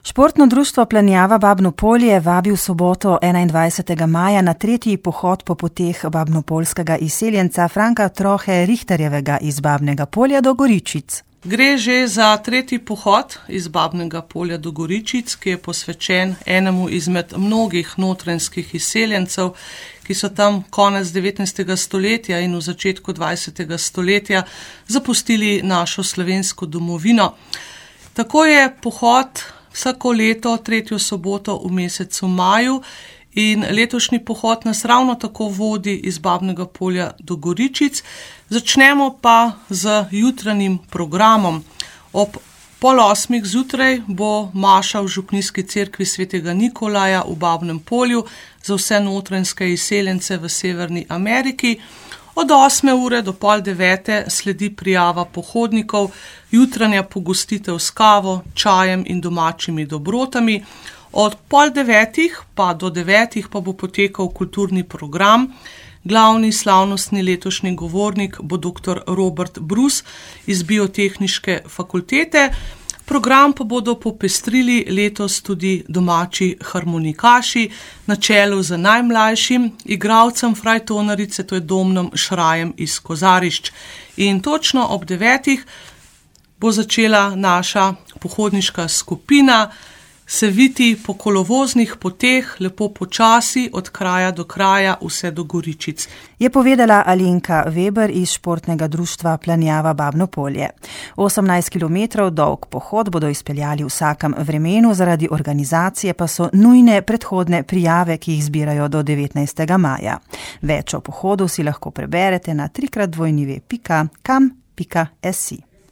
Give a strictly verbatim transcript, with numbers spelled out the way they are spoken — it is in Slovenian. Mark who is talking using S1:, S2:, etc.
S1: Športno društvo Planjava Babno Polje vabi v soboto enaindvajsetega maja na tretji pohod po poteh babnopoljskega izseljenca Franka Trohe Richterjevega iz Babnega Polja do Goričic.
S2: Gre že za tretji pohod iz Babnega Polja do Goričic, ki je posvečen enemu izmed mnogih notranjskih izseljencev, ki so tam konec devetnajstega stoletja in v začetku dvajsetega stoletja zapustili našo slovensko domovino. Tako je pohod vsako leto, tretjo soboto v mesecu maju, in letošnji pohod nas ravno tako vodi iz Babnega Polja do Goričic. Začnemo pa z jutranjim programom. Ob pol osmih zjutraj bo maša v župnijski cerkvi svetega Nikolaja v Babnem Polju za vse notranjske izseljence v Severni Ameriki. Od osme ure do pol devete sledi prijava pohodnikov, jutranja pogostitev s kavo, čajem in domačimi dobrotami. Od pol devetih pa do devetih pa bo potekal kulturni program. Glavni slavnostni letošnji govornik bo doktor Robert Brus iz Biotehniške fakultete. Program pa bodo popestrili letos tudi domači harmonikaši na čelu z najmlajšim igralcem frajtonarice, to je Domnom Šrajem iz Kozarišč. In točno ob devetih bo začela naša pohodniška skupina se viti po kolovoznih poteh, lepo počasi, od kraja do kraja, vse do Goričic.
S1: Je povedala Alenka Weber iz Športnega društva Planjava Babno Polje. osemnajst kilometrov dolg pohod bodo izpeljali v vsakem vremenu, zaradi organizacije pa so nujne predhodne prijave, ki jih zbirajo do devetnajstega maja. Več o pohodu si lahko preberete na trikrat dvojni ve pika kam pika es i.